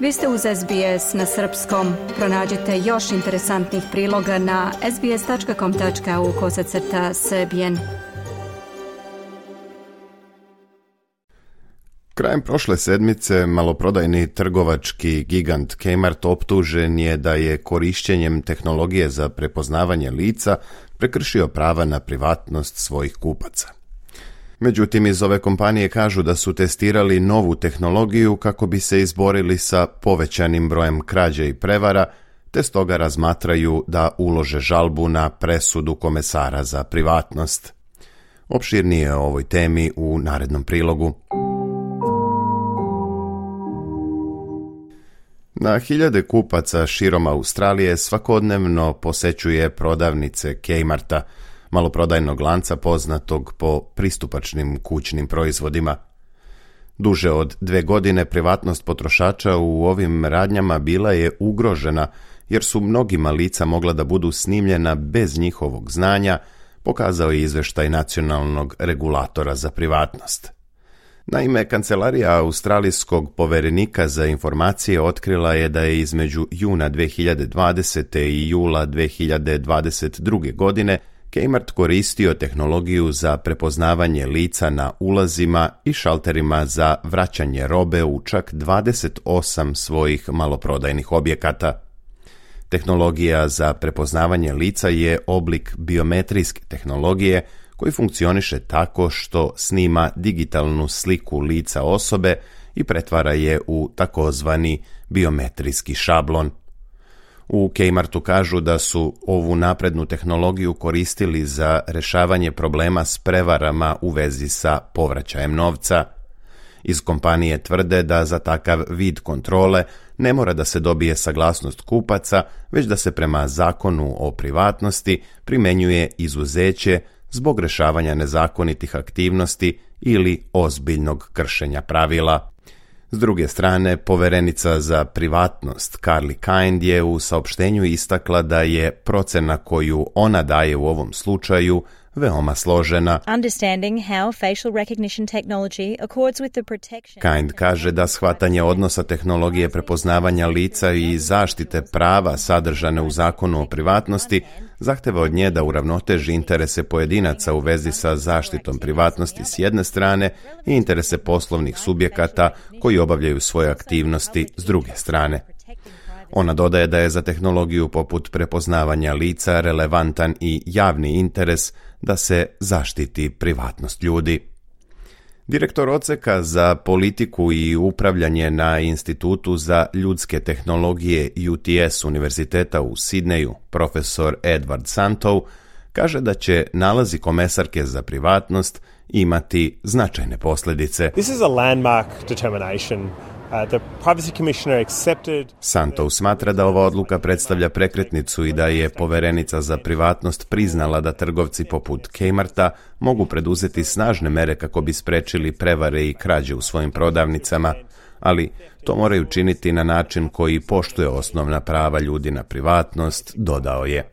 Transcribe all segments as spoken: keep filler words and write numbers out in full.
Vi ste uz S B S na srpskom. Pronađite još interesantnih priloga na sbs.com.au kosacrta srbijen. Krajem prošle sedmice maloprodajni trgovački gigant Kmart optužen je da je korišćenjem tehnologije za prepoznavanje lica prekršio prava na privatnost svojih kupaca. Međutim, iz ove kompanije kažu da su testirali novu tehnologiju kako bi se izborili sa povećanim brojem krađe i prevara, te stoga razmatraju da ulože žalbu na presudu komesara za privatnost. Opširnije o ovoj temi u narednom prilogu. Na hiljade kupaca širom Australije svakodnevno posećuje prodavnice Kmarta, maloprodajnog lanca poznatog po pristupačnim kućnim proizvodima. Duže od dve godine privatnost potrošača u ovim radnjama bila je ugrožena, jer su mnogima lica mogla da budu snimljena bez njihovog znanja, pokazao je izveštaj nacionalnog regulatora za privatnost. Naime, kancelarija australijskog poverenika za informacije otkrila je da je između juna dve hiljade dvadesete. i jula dve hiljade dvadeset druge. godine Kmart koristio tehnologiju za prepoznavanje lica na ulazima i šalterima za vraćanje robe u čak dvadeset osam svojih maloprodajnih objekata. Tehnologija za prepoznavanje lica je oblik biometrijske tehnologije koji funkcioniše tako što snima digitalnu sliku lica osobe i pretvara je u takozvani biometrijski šablon. U Kmartu kažu da su ovu naprednu tehnologiju koristili za rešavanje problema s prevarama u vezi sa povraćajem novca. Iz kompanije tvrde da za takav vid kontrole ne mora da se dobije saglasnost kupaca, već da se prema zakonu o privatnosti primenjuje izuzeće zbog rešavanja nezakonitih aktivnosti ili ozbiljnog kršenja pravila. S druge strane, poverenica za privatnost Carly Kind je u saopštenju istakla da je procena koju ona daje u ovom slučaju veoma složena. Kind kaže da shvatanje odnosa tehnologije prepoznavanja lica i zaštite prava sadržane u zakonu o privatnosti zahteva od nje da uravnoteži interese pojedinaca u vezi sa zaštitom privatnosti s jedne strane i interese poslovnih subjekata koji obavljaju svoje aktivnosti s druge strane. Ona dodaje da je za tehnologiju poput prepoznavanja lica relevantan i javni interes da se zaštiti privatnost ljudi. Direktor odseka za politiku i upravljanje na Institutu za ljudske tehnologije U T S Univerziteta u Sidneju, profesor Edward Santow, kaže da će nalazi komesarke za privatnost imati značajne posljedice. This is a landmark determination. Uh, the Privacy Commissioner accepted... Santow smatra da ova odluka predstavlja prekretnicu i da je poverenica za privatnost priznala da trgovci poput Kmarta mogu preduzeti snažne mere kako bi sprečili prevare i krađe u svojim prodavnicama, ali to moraju činiti na način koji poštuje osnovna prava ljudi na privatnost, dodao je.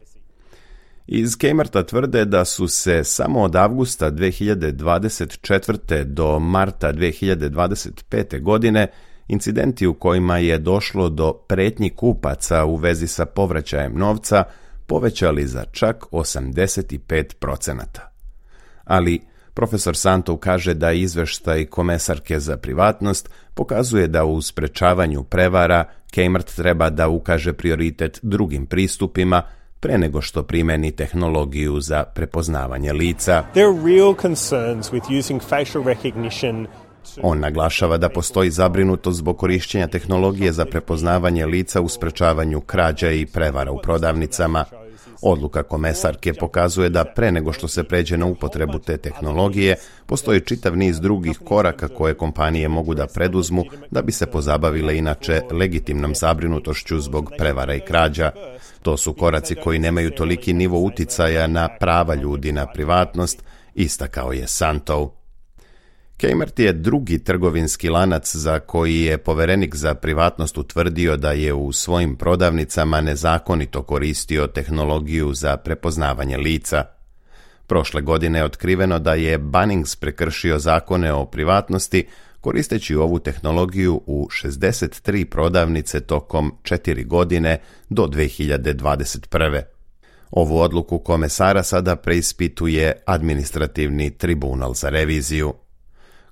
Iz Kmarta tvrde da su se samo od avgusta dve hiljade dvadeset četvrte. do marta dve hiljade dvadeset pete. godine incidenti u kojima je došlo do pretnji kupaca u vezi sa povraćajem novca povećali za čak osamdeset pet procenata. Ali profesor Santow kaže da izveštaj komesarke za privatnost pokazuje da u sprečavanju prevara Kmart treba da ukaže prioritet drugim pristupima pre nego što primeni tehnologiju za prepoznavanje lica. There are real concerns with using facial recognition. On naglašava da postoji zabrinutost zbog korišćenja tehnologije za prepoznavanje lica u sprečavanju krađa i prevara u prodavnicama. Odluka komesarke pokazuje da pre nego što se pređe na upotrebu te tehnologije, postoji čitav niz drugih koraka koje kompanije mogu da preduzmu da bi se pozabavile inače legitimnom zabrinutošću zbog prevara i krađa. To su koraci koji nemaju toliki nivo uticaja na prava ljudi na privatnost, istakao je Santow. Kmart je drugi trgovinski lanac za koji je poverenik za privatnost utvrdio da je u svojim prodavnicama nezakonito koristio tehnologiju za prepoznavanje lica. Prošle godine je otkriveno da je Bunnings prekršio zakone o privatnosti koristeći ovu tehnologiju u šezdeset tri prodavnice tokom četiri godine do dve hiljade dvadeset prve. Ovu odluku komesara sada preispituje administrativni tribunal za reviziju.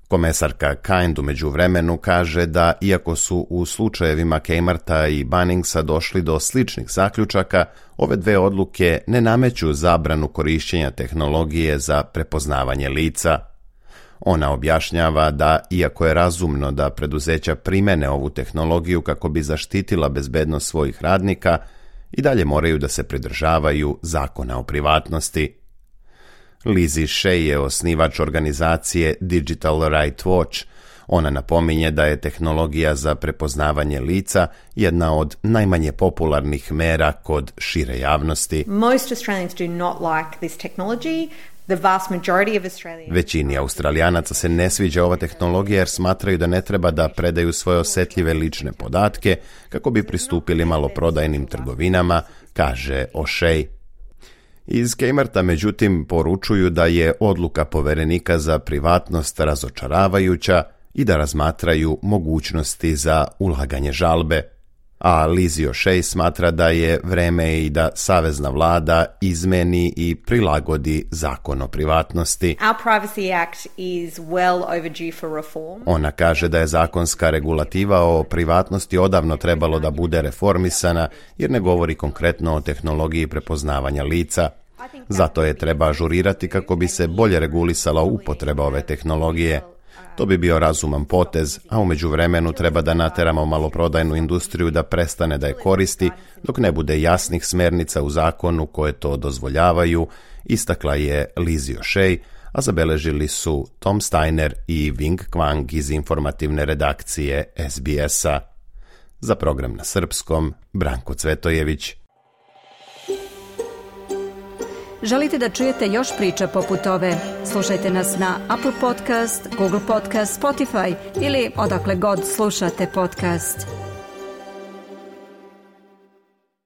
Komesarka Kind u međuvremenu kaže da, iako su u slučajevima Kmarta i Bunningsa došli do sličnih zaključaka, ove dve odluke ne nameću zabranu korišćenja tehnologije za prepoznavanje lica. Ona objašnjava da, iako je razumno da preduzeća primene ovu tehnologiju kako bi zaštitila bezbednost svojih radnika, i dalje moraju da se pridržavaju zakona o privatnosti. Lizzie Shea je osnivač organizacije Digital Right Watch. Ona napominje da je tehnologija za prepoznavanje lica jedna od najmanje popularnih mera kod šire javnosti. Most Australians do not like this technology. The vast majority of Australians... Većini Australijanaca se ne sviđa ova tehnologija jer smatraju da ne treba da predaju svoje osjetljive lične podatke kako bi pristupili maloprodajnim trgovinama, kaže O'Shea. Iz Kmarta, međutim, poručuju da je odluka poverenika za privatnost razočaravajuća i da razmatraju mogućnosti za ulaganje žalbe. A Lizzie O'Shea smatra da je vreme i da savezna vlada izmeni i prilagodi zakon o privatnosti. Our Privacy Act is well overdue for reform. Ona kaže da je zakonska regulativa o privatnosti odavno trebalo da bude reformisana jer ne govori konkretno o tehnologiji prepoznavanja lica. Zato je treba ažurirati kako bi se bolje regulisala upotreba ove tehnologije. To bi bio razuman potez, a u međuvremenu treba da nateramo maloprodajnu industriju da prestane da je koristi, dok ne bude jasnih smernica u zakonu koje to dozvoljavaju, istakla je Lizzie O'Shea, a zabeležili su Tom Steiner i Wing Kwang iz informativne redakcije S B S-a. Za program na srpskom, Branko Cvetojević. Želite da čujete još priča poput ove? Slušajte nas na Apple Podcast, Google Podcast, Spotify ili odakle god slušate podcast.